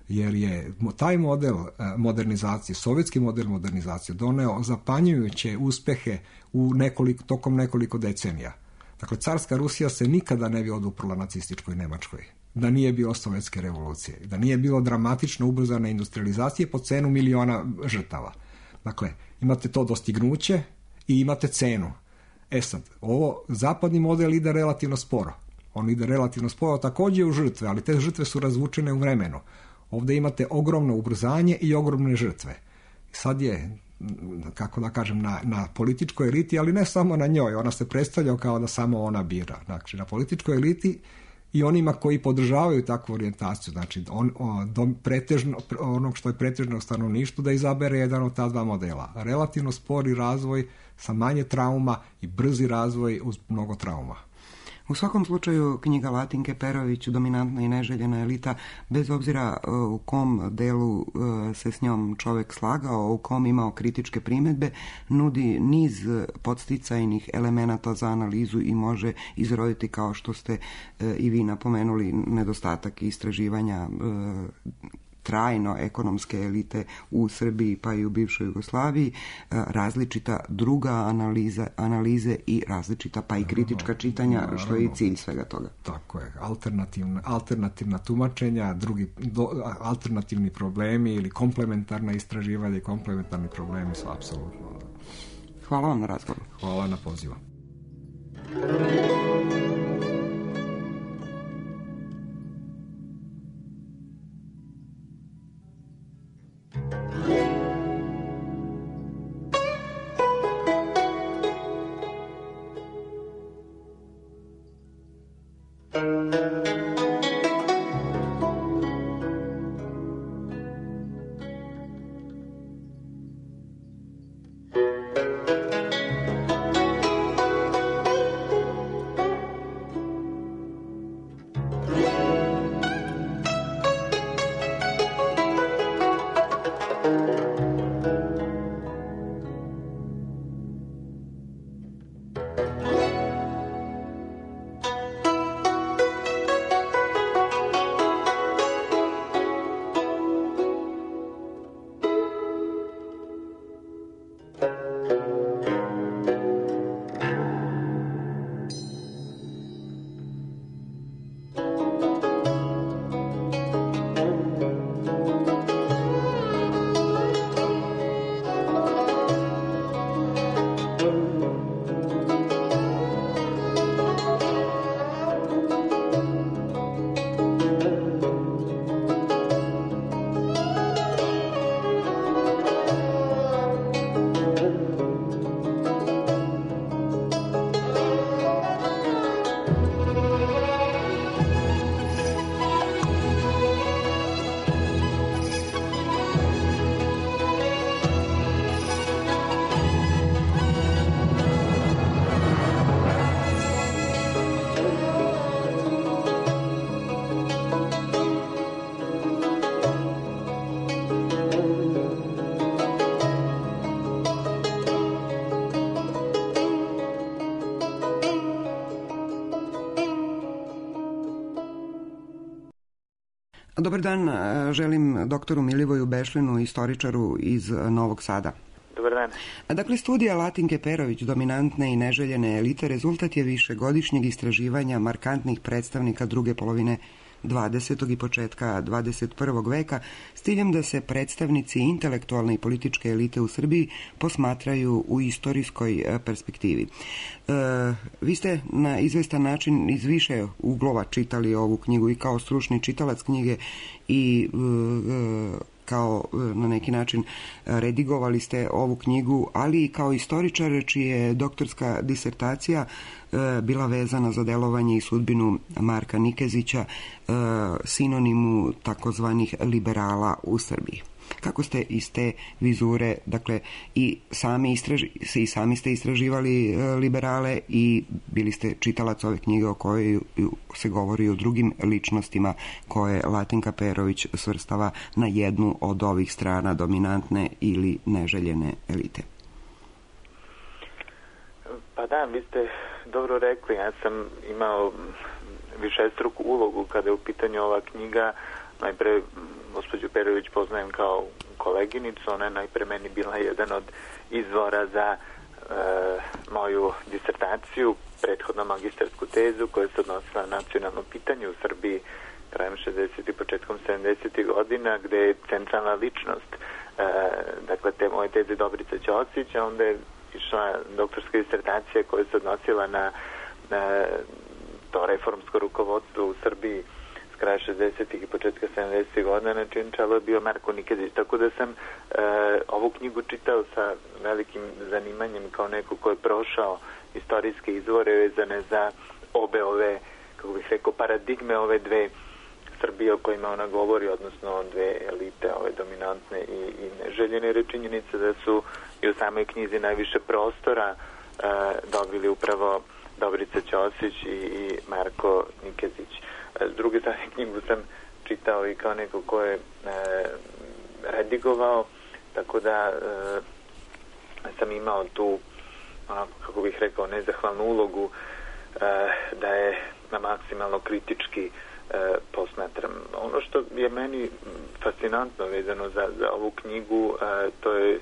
D: jer je taj model modernizacije, sovjetski model modernizacije doneo zapanjujuće uspehe u nekoliko, tokom nekoliko decenija. Dakle, carska Rusija se nikada ne bi oduprla nacističkoj Nemačkoj, da nije bilo sovjetske revolucije, da nije bilo dramatično ubrzane industrializacije po cenu miliona žrtava. Dakle, imate to dostignuće i imate cenu. E sad, ovo zapadni model ide relativno sporo. On ide relativno sporo također u žrtve, ali te žrtve su razvučene u vremenu. Ovdje imate ogromno ubrzanje i ogromne žrtve. Sad je, kako da kažem, na, na političkoj eliti, ali ne samo na njoj. Ona se predstavlja kao da samo ona bira. Znači, na političkoj eliti i onima koji podržavaju takvu orijentaciju. Znači, on, on, dom, pretežno, onog što je pretežno stanovništvo da izabere jedan od ta dva modela. Relativno spori razvoj sa manje trauma i brzi razvoj uz mnogo trauma.
C: U svakom slučaju knjiga Latinke Perović, Dominantna i neželjena elita, bez obzira u kom delu se s njom čovjek slagao, u kom imao kritičke primjedbe, nudi niz podsticajnih elemenata za analizu i može izroditi, kao što ste i vi napomenuli, nedostatak istraživanja trajno ekonomske elite u Srbiji pa i u bivšoj Jugoslaviji, različita druga analiza, analize i različita pa i kritička čitanja, naravno, što je i cilj svega toga.
D: Tako je, alternativna, alternativna tumačenja, drugi, do, alternativni problemi ili komplementarna istraživanja i komplementarni problemi su apsolutno.
C: Hvala vam na razgovoru.
D: Hvala na pozivu.
C: Dobar dan, želim doktoru Milivoju Bešlinu, istoričaru iz Novog Sada.
E: Dobar dan.
C: Dakle, studija Latinke Perović, dominantne i neželjene elite, rezultat je višegodišnjeg istraživanja markantnih predstavnika druge polovine dvadesetog i početka dvadeset prvog veka s ciljem da se predstavnici intelektualne i političke elite u Srbiji posmatraju u istorijskoj perspektivi. E, vi ste na izvestan način iz više uglova čitali ovu knjigu i kao stručni čitalac knjige i e, kao na neki način redigovali ste ovu knjigu, ali i kao istoričar čija je doktorska disertacija bila vezana za delovanje i sudbinu Marka Nikezića, sinonimu takozvanih liberala u Srbiji. Kako ste iz te vizure, dakle, i sami, istraži, i sami ste istraživali liberale i bili ste čitalac ove knjige o kojoj se govori o drugim ličnostima koje Latinka Perović svrstava na jednu od ovih strana dominantne ili neželjene elite.
E: Pa da, vi ste dobro rekli, ja sam imao višestruku ulogu kada je u pitanju ova knjiga. Najpre gospođu Perović poznajem kao koleginicu, ona je najpre meni bila jedan od izvora za e, moju disertaciju, prethodno magistarsku tezu koja se odnosila na nacionalno pitanje u Srbiji krajem šezdesetih i početkom sedamdesetih godina, gde je centralna ličnost e, dakle te moje teze Dobrica Ćosić, a onda je išla doktorska disertacija koja se odnosila na, na to reformsko rukovodstvo u Srbiji s kraja šezdesetih i početka sedamdesetih godina, na čijem čelu je bio Marko Nikezić. Tako da sam e, ovu knjigu čitao sa velikim zanimanjem kao neko ko je prošao istorijske izvore vezane za obe ove, kako bih rekao, paradigme ove dve Srbije o kojima ona govori, odnosno dve elite, ove dominantne i, i neželjene, jer je činjenica da su i u samoj knjizi najviše prostora e, dobili upravo Dobrica Ćosić i, i Marko Nikezić. S druge strane, knjigu sam čitao i kao neko ko je e, redigovao, tako da e, sam imao tu, onako, kako bih rekao, nezahvalnu ulogu e, da je na maksimalno kritički e, posmatram. Ono što je meni fascinantno vezano za, za ovu knjigu, e, to je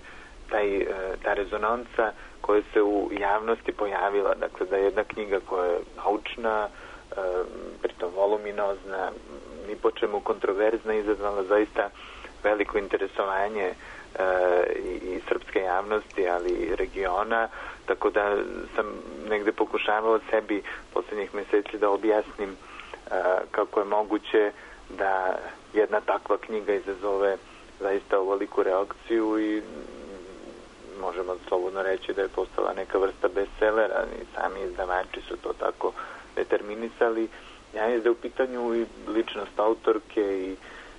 E: taj, e, ta rezonanca koja se u javnosti pojavila. Dakle, da je jedna knjiga koja je naučna, pritom voluminozna, ni po čemu kontroverzna, izazvala zaista veliko interesovanje e, i, i srpske javnosti, ali i regiona, tako da sam negde pokušavao sebi poslednjih meseci da objasnim e, kako je moguće da jedna takva knjiga izazove zaista ovoliku reakciju i možemo slobodno reći da je postala neka vrsta bestsellera, i sami izdavači su to tako determinisali. Ja je da u pitanju i ličnost autorke i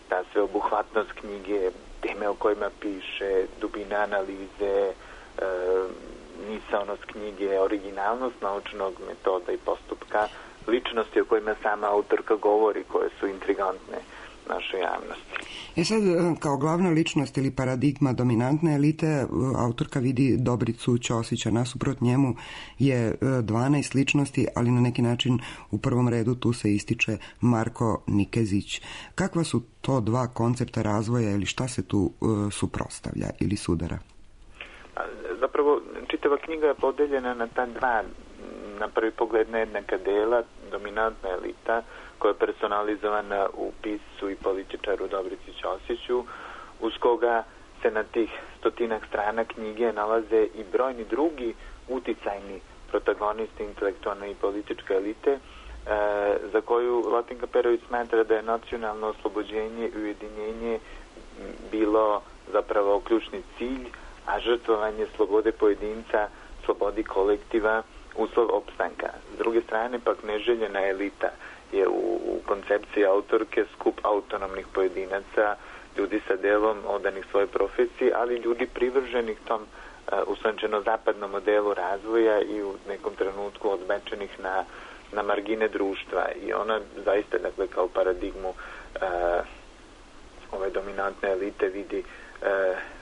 E: ta sveobuhvatnost knjige, teme o kojima piše, dubina analize, e, misaonost knjige, originalnost naučnog metoda i postupka, ličnosti o kojima sama autorka govori, koje su intrigantne našoj javnosti.
C: E sad, kao glavna ličnost ili paradigma dominantne elite, autorka vidi Dobricu Ćosića. Nasuprot njemu je dvanaest ličnosti, ali na neki način u prvom redu tu se ističe Marko Nikezić. Kakva su to dva koncepta razvoja ili šta se tu uh, suprotstavlja ili sudara?
E: Zapravo, čitava knjiga je podeljena na ta dva, na prvi pogled nejednaka dela, dominantna elita, koja je personalizovana u piscu i političaru Dobrici Ćosiću, uz koga se na tih stotinak strana knjige nalaze i brojni drugi uticajni protagonisti intelektualne i političke elite, e, za koju Latinka Perović smatra da je nacionalno oslobođenje i ujedinjenje bilo zapravo ključni cilj, a žrtvovanje slobode pojedinca, slobodi kolektiva, uslov opstanka. S druge strane, pak neželjena elita je u, u koncepciji autorke skup autonomnih pojedinaca, ljudi sa delom odanih svojoj profesiji, ali ljudi privrženih tom uh, uslančeno zapadnom modelu razvoja i u nekom trenutku odbečenih na, na margine društva. I ona zaista, dakle, kao paradigmu uh, ove dominantne elite vidi uh,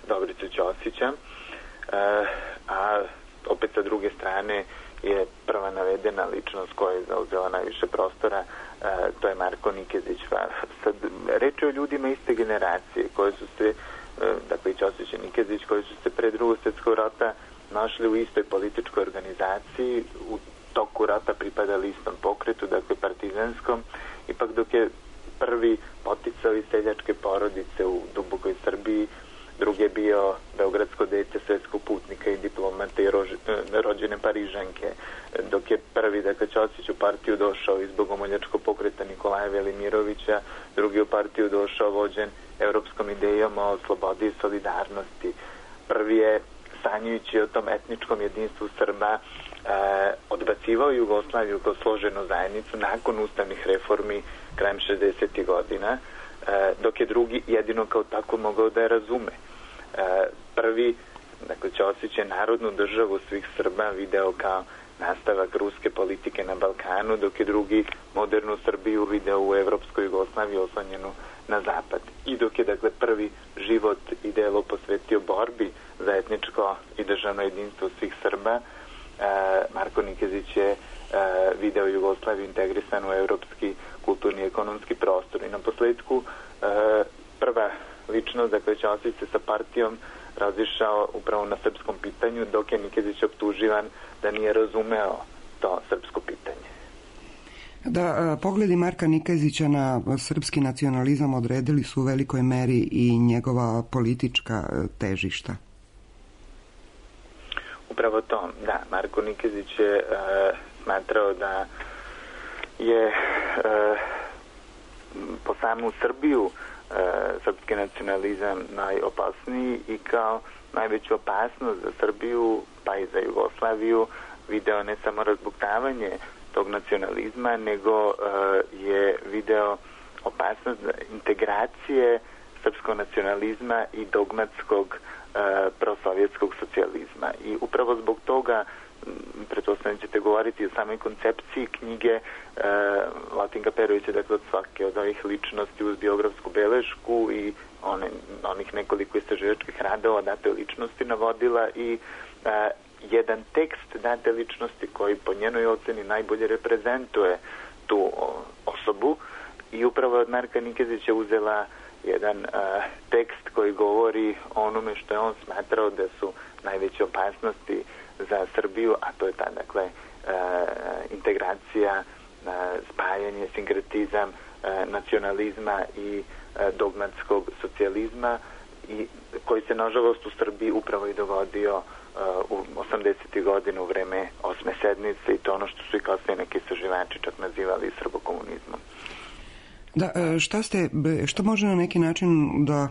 E: Dobricu Ćosića, uh, a opet sa druge strane je prva navedena ličnost koja je zauzela najviše prostora, to je Marko Nikezić. Sad, reč je o ljudima iste generacije koje su se, dakle i Ćosić i Nikezić, koji su se pre drugog svjetskog rata našli u istoj političkoj organizaciji, u toku rata pripadali istom pokretu, dakle partizanskom, ipak dok je prvi poticali seljačke porodice u dubokoj Srbiji, drugi je bio beogradsko dete svetskog putnika i diplomata i rođene Parižanke, dok je prvi, dakle, Ćosić u partiju došao iz bogomoljačkog pokreta Nikolaja Velimirovića, drugi u partiju došao vođen evropskom idejom o slobodi i solidarnosti. Prvi je, sanjujući o tom etničkom jedinstvu Srba, e, odbacivao Jugoslaviju kao složenu zajednicu nakon ustavnih reformi krajem šezdesetih godina, e, dok je drugi jedino kao tako mogao da je razume. E, prvi, dakle, Ćosić je narodnu državu svih Srba video kao nastavak ruske politike na Balkanu, dok je drugi modernu Srbiju video u evropskoj Jugoslaviji oslonjenu na zapad. I dok je, dakle, prvi život i delo posvetio borbi za etničko i državno jedinstvo svih Srba, e, Marko Nikezić je e, video Jugoslaviju integrisanu u evropski kulturni i ekonomski prostor. I na posledku e, prva ličnost, dakle, Ćosić se sa partijom razišao upravo na srpskom pitanju, dok je Nikezić optuživan da nije razumeo to srpsko pitanje.
C: Da, pogledi Marka Nikezića na srpski nacionalizam odredili su u velikoj meri i njegova politička težišta.
E: Upravo to, da. Marko Nikezić je e, smatrao da je e, po samu Srbiju e, srpski nacionalizam najopasniji i kao najveću opasnost za Srbiju, pa i za Jugoslaviju, video ne samo razbuktavanje tog nacionalizma, nego uh, je video opasnost integracije srpskog nacionalizma i dogmatskog uh, prosovjetskog socijalizma. I upravo zbog toga, pretpostavljam ćete govoriti o samoj koncepciji knjige uh, Latinka Perović je, dakle, od svake od ovih ličnosti uz biografsku belešku i one, onih nekoliko istraživačkih radova date ličnosti navodila i uh, jedan tekst date ličnosti koji po njenoj oceni najbolje reprezentuje tu osobu i upravo od Marka Nikezića uzela jedan uh, tekst koji govori o onome što je on smatrao da su najveće opasnosti za Srbiju, a to je ta, dakle, uh, integracija, uh, spajanje, sinkretizam uh, nacionalizma i uh, dogmatskog socijalizma i koji se nažalost u Srbiji upravo i dogodio u osamdesetih godina u vreme osme sednice i to ono što su i kasnije neki istraživači čak nazivali srbokomunizmom.
C: Da, šta ste, što može na neki način da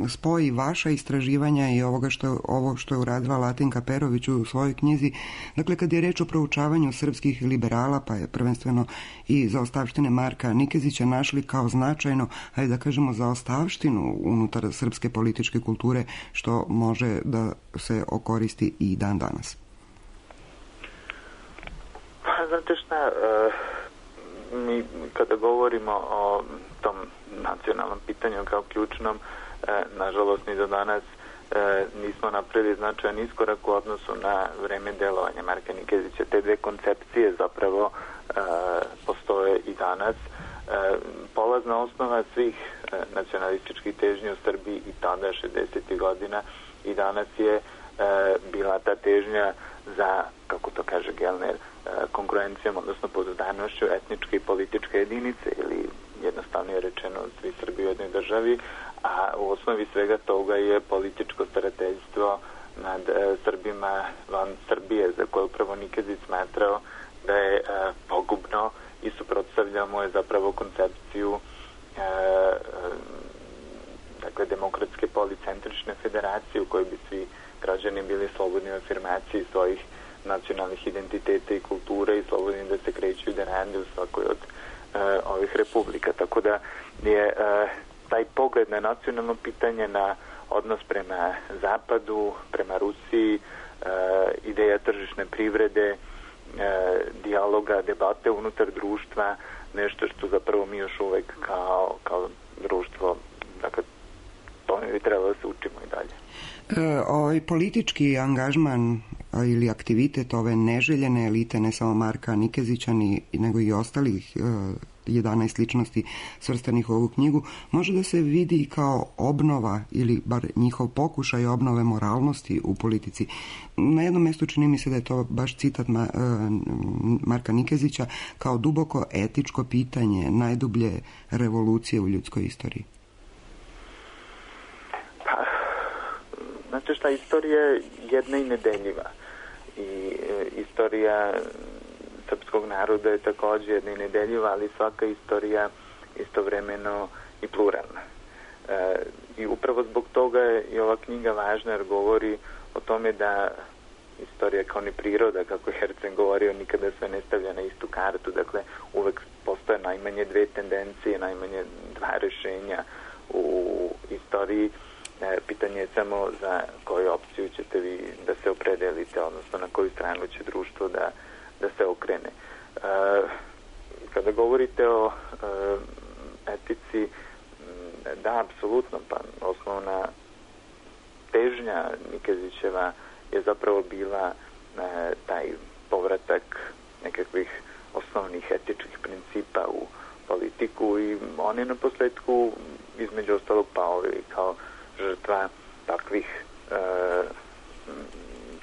C: spoji vaša istraživanja i ovoga što, ovo što je uradila Latinka Perović u svojoj knjizi? Dakle, kad je reč o proučavanju srpskih liberala, pa je prvenstveno i zaostavštine Marka Nikezića našli kao značajno, ajde da kažemo, zaostavštinu unutar srpske političke kulture, što može da se okoristi i dan danas.
E: Pa, znate šta, uh... mi kada govorimo o tom nacionalnom pitanju kao ključnom, e, nažalost ni do danas e, nismo napravili značajan iskorak u odnosu na vreme delovanja Marka Nikezića. Te dve koncepcije zapravo e, postoje i danas. E, polazna osnova svih e, nacionalističkih težnji u Srbiji i tada šezdesetih godina i danas je e, bila ta težnja za, kako to kaže Gelner, konkurencijom, odnosno pouzdanošću etničke i političke jedinice ili jednostavno je rečeno svi Srbi u jednoj državi, a u osnovi svega toga je političko starateljstvo nad e, Srbima van Srbije, za koje upravo Nikezić smatrao da je e, pogubno i suprotstavljao mu je zapravo koncepciju e, e, dakle demokratske policentrične federacije u kojoj bi svi građani bili slobodni u afirmaciji svojih nacionalnih identiteta i kulture i slobodni da se kreću i da rade u svakoj od e, ovih republika. Tako da je e, taj pogled na nacionalno pitanje, na odnos prema Zapadu, prema Rusiji, e, ideja tržišne privrede, e, dijaloga, debate unutar društva, nešto što zapravo mi još uvek kao, kao društvo, dakle, to mi bi trebalo da se učimo i dalje.
C: E, ovaj politički angažman ili aktivitet ove neželjene elite, ne samo Marka Nikezića, ni, nego i ostalih jedanaest ličnosti svrstanih u ovu knjigu, može da se vidi kao obnova ili bar njihov pokušaj obnove moralnosti u politici. Na jednom mjestu čini mi se da je to baš citat Ma, Marka Nikezića kao duboko etičko pitanje najdublje revolucije u ljudskoj istoriji.
E: Pa, znači šta, istorija je jedna i nedeljiva. I e, istorija srpskog naroda je također jedna i nedeljiva, ali svaka istorija istovremeno i pluralna. E, I upravo zbog toga je i ova knjiga važna, jer govori o tome da istorija kao ni priroda, kako je Hercen govorio, nikada se ne stavlja na istu kartu, dakle uvek postoje najmanje dve tendencije, najmanje dva rešenja u istoriji. E, pitanje je samo za koju opciju ćete vi da se opredelite, odnosno na koju stranu će društvo da da se okrene. E, kada govorite o e, etici, da, apsolutno, pa osnovna težnja Nikezićeva je zapravo bila e, taj povratak nekakvih osnovnih etičkih principa u politiku i on je na posledku između ostalog pao kao žrtva takvih e,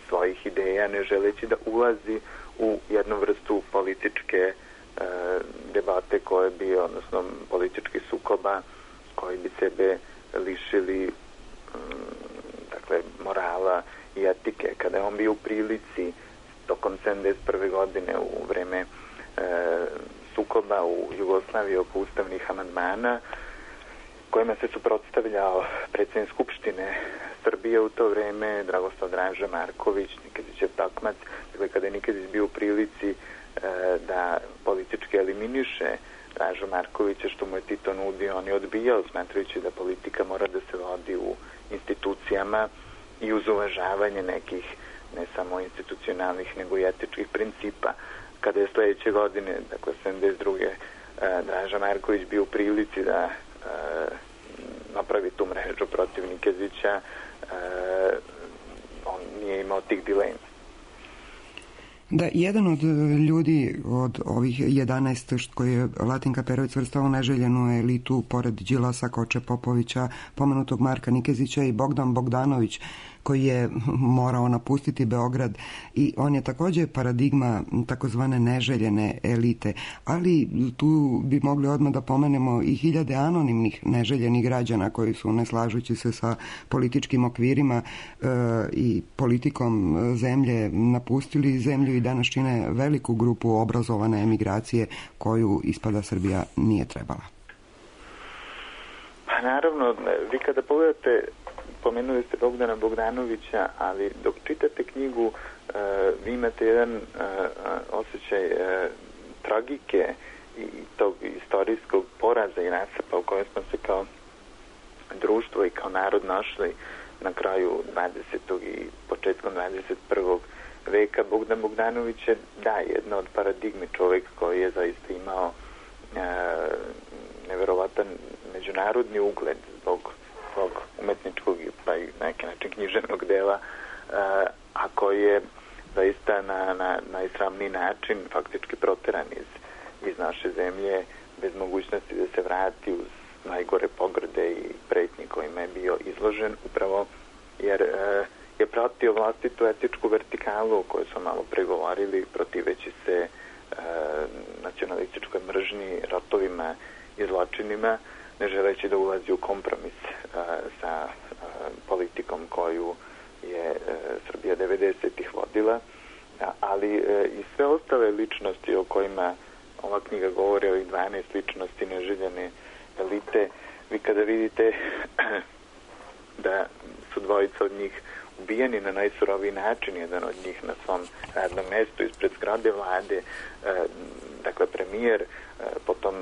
E: svojih ideja, ne želeći da ulazi u jednu vrstu političke e, debate koje bi, odnosno politički sukoba koji bi sebe lišili m, dakle, morala i etike. Kada je on bio u prilici tokom sedamdeset prve godine u vreme e, sukoba u Jugoslaviji oko ustavnih amandmana kojima se suprotstavljao predsjednik Skupštine Srbije u to vreme, Dragoslav Draža Marković, Nikezićev takmac. Dakle, kada je Nikezić bio u prilici e, da politički eliminiše Dražu Markovića, što mu je Tito nudio, on je odbijao, smatrajući da politika mora da se vodi u institucijama i uz uvažavanje nekih ne samo institucionalnih, nego i etičkih principa. Kada je sledeće godine, dakle sedamdeset druge E, Draža Marković bio u prilici da e, napravi tu mrežu protiv Nikezića, e, on nije imao tih dilema.
C: Da, jedan od ljudi od ovih jedanaest koji je Latinka Perović svrstao u neželjenu elitu pored Đilasa, Koče Popovića, pomenutog Marka Nikezića i Bogdan Bogdanović koji je morao napustiti Beograd i on je također paradigma takozvane neželjene elite, ali tu bi mogli odmah da pomenemo i hiljade anonimnih neželjenih građana koji su, ne slažući se sa političkim okvirima e, i politikom zemlje, napustili zemlju i danas čine veliku grupu obrazovane emigracije koju ispada Srbija nije trebala.
E: Pa naravno, vi kada pogledate, pomenuli ste Bogdana Bogdanovića, ali dok čitate knjigu uh, vi imate jedan uh, osjećaj uh, tragike i tog istorijskog poraza i rasapa u kojem smo se kao društvo i kao narod našli na kraju dvadesetog i početkom dvadeset prvog veka. Bogdan Bogdanović je, da, jedna od paradigmi, čovjek koji je zaista imao uh, neverovatan međunarodni ugled zbog svog umetničkog pa i na neki način književnog dela, a koji je zaista na, na najsramniji način faktički proteran iz, iz naše zemlje bez mogućnosti da se vrati uz najgore pogrde i pretnje kojima je bio izložen, upravo jer je pratio vlastitu etičku vertikalu o kojoj smo malo pregovorili, protiveći se nacionalističkoj mržnji, ratovima i zločinima, ne želeći da ulazi u kompromis a, sa a, politikom koju je a, Srbija devedesetih vodila, a, ali a, i sve ostale ličnosti o kojima ova knjiga govori, ovih dvanaest ličnosti neželjene elite, vi kada vidite da su dvojica od njih ubijeni na najsuroviji način, jedan od njih na svom radnom mestu ispred zgrade vlade, a, dakle premijer, a, potom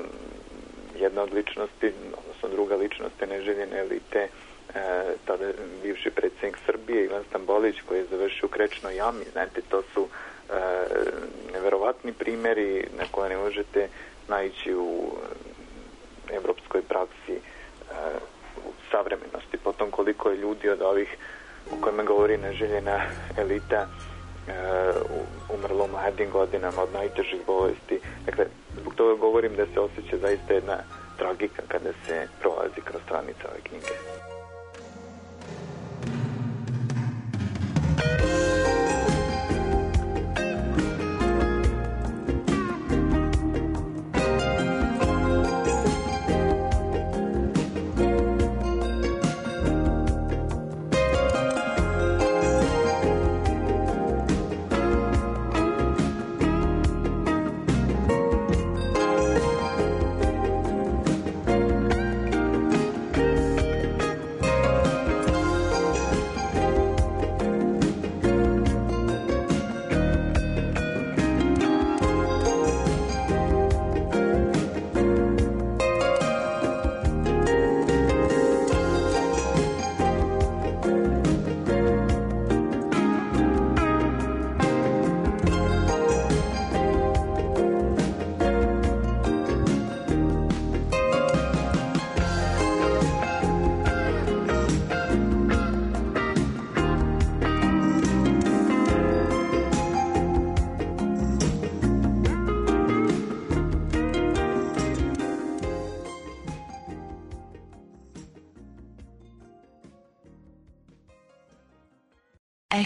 E: jedna od ličnosti, odnosno druga ličnost neželjene elite, e, tada bivši predsjednik Srbije Ivan Stambolić, koji je završio u krečnoj jami. Znate, to su e, neverovatni primjeri na koje ne možete naići u evropskoj praksi e, u savremenosti. Potom koliko je ljudi od ovih o kojima govori neželjena elita umrlo u mladim godinama od najtežih bolesti. Dakle, zbog toga govorim da se osjeća zaista jedna tragika kada se prolazi kroz stranice ove knjige.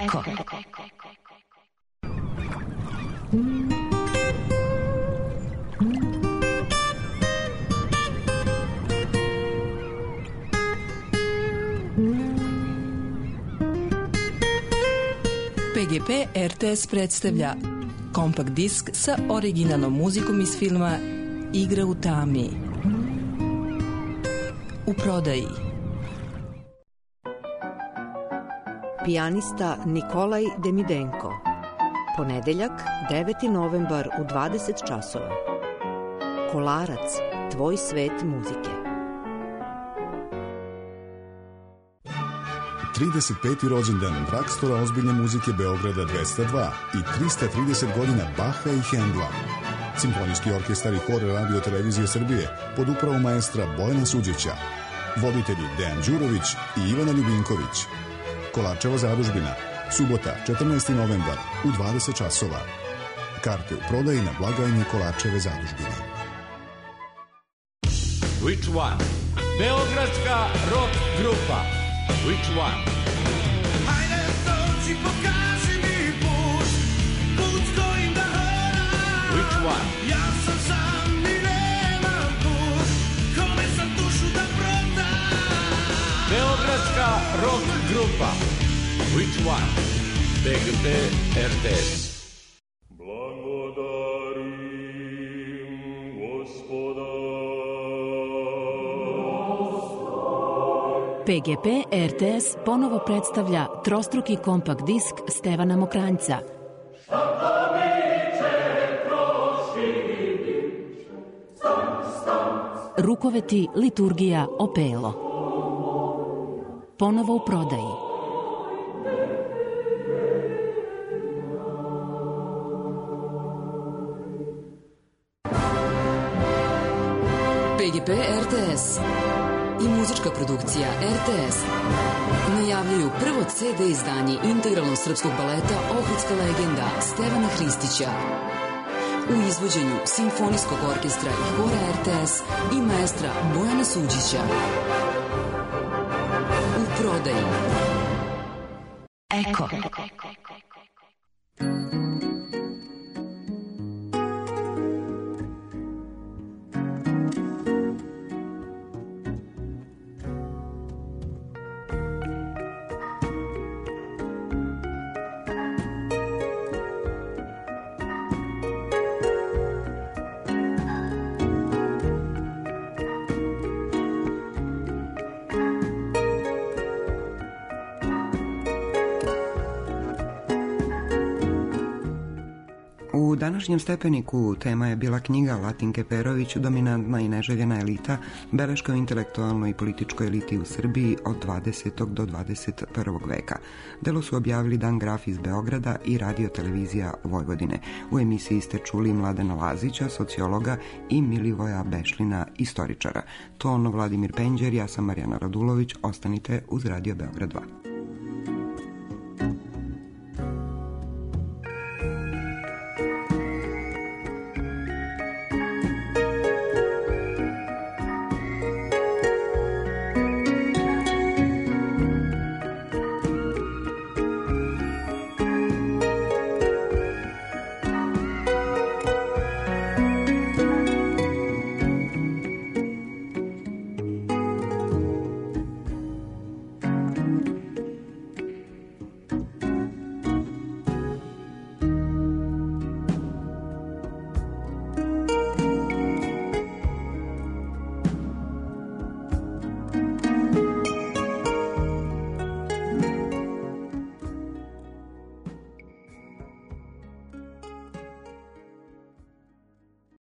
F: Eko. P G P R T S predstavlja kompakt disk sa originalnom muzikom iz filma Igra u tami. U prodaji.
G: Pijanista Nikolaj Demidenko. Ponedeljak, deveti novembar u dvadeset časova. Kolarac, tvoj svet muzike.
H: trideset peti rođendan Drakstora ozbiljne muzike Beograda dvesta dva i trista trideset godina Baha i Hendla. Simfonijski orkestar i hor Radio Televizije Srbije pod upravom maestra Bojana Suđića. Voditelji Dejan Đurović i Ivana Ljubinković. Kolarčeva zadužbina, subota, četrnaesti novembar u dvadeset časova. Karte u prodaji na blagajni Kolarčeve zadužbine.
I: Which one? Beogradska rock grupa. Which one?
J: Hajde dođi, pokaži mi put, put kojim da hodam.
I: Which one?
J: Ja sam sam i nemam put, kome sam dušu da prodam.
I: Beogradska rock grupa. Which one? P G P R T S.
F: P G P R T S ponovo predstavlja trostruki kompakt disk Stevana Mokranjca. Rukoveti, liturgija, opelo. Ponovo u prodaji. P G P R T S i muzička produkcija R T S najavljuju prvo C D izdanje integralnog srpskog baleta Ohridska legenda Stevana Hristića u izvođenju Simfonijskog orkestra i hora R T S i maestra Bojana Suđića. U prodaji. Eko.
C: U današnjem stepeniku tema je bila knjiga Latinke Perović, Dominantna i neželjena elita, beleška o intelektualnoj i političkoj eliti u Srbiji od dvadesetog do dvadeset prvog veka. Delo su objavili Dan Graf iz Beograda i Radio Televizija Vojvodine. U emisiji ste čuli Mladena Lazića, sociologa, i Milivoja Bešlina, istoričara. Ton Vladimir Penđer, ja sam Marijana Radulović, ostanite uz Radio Beograd dva.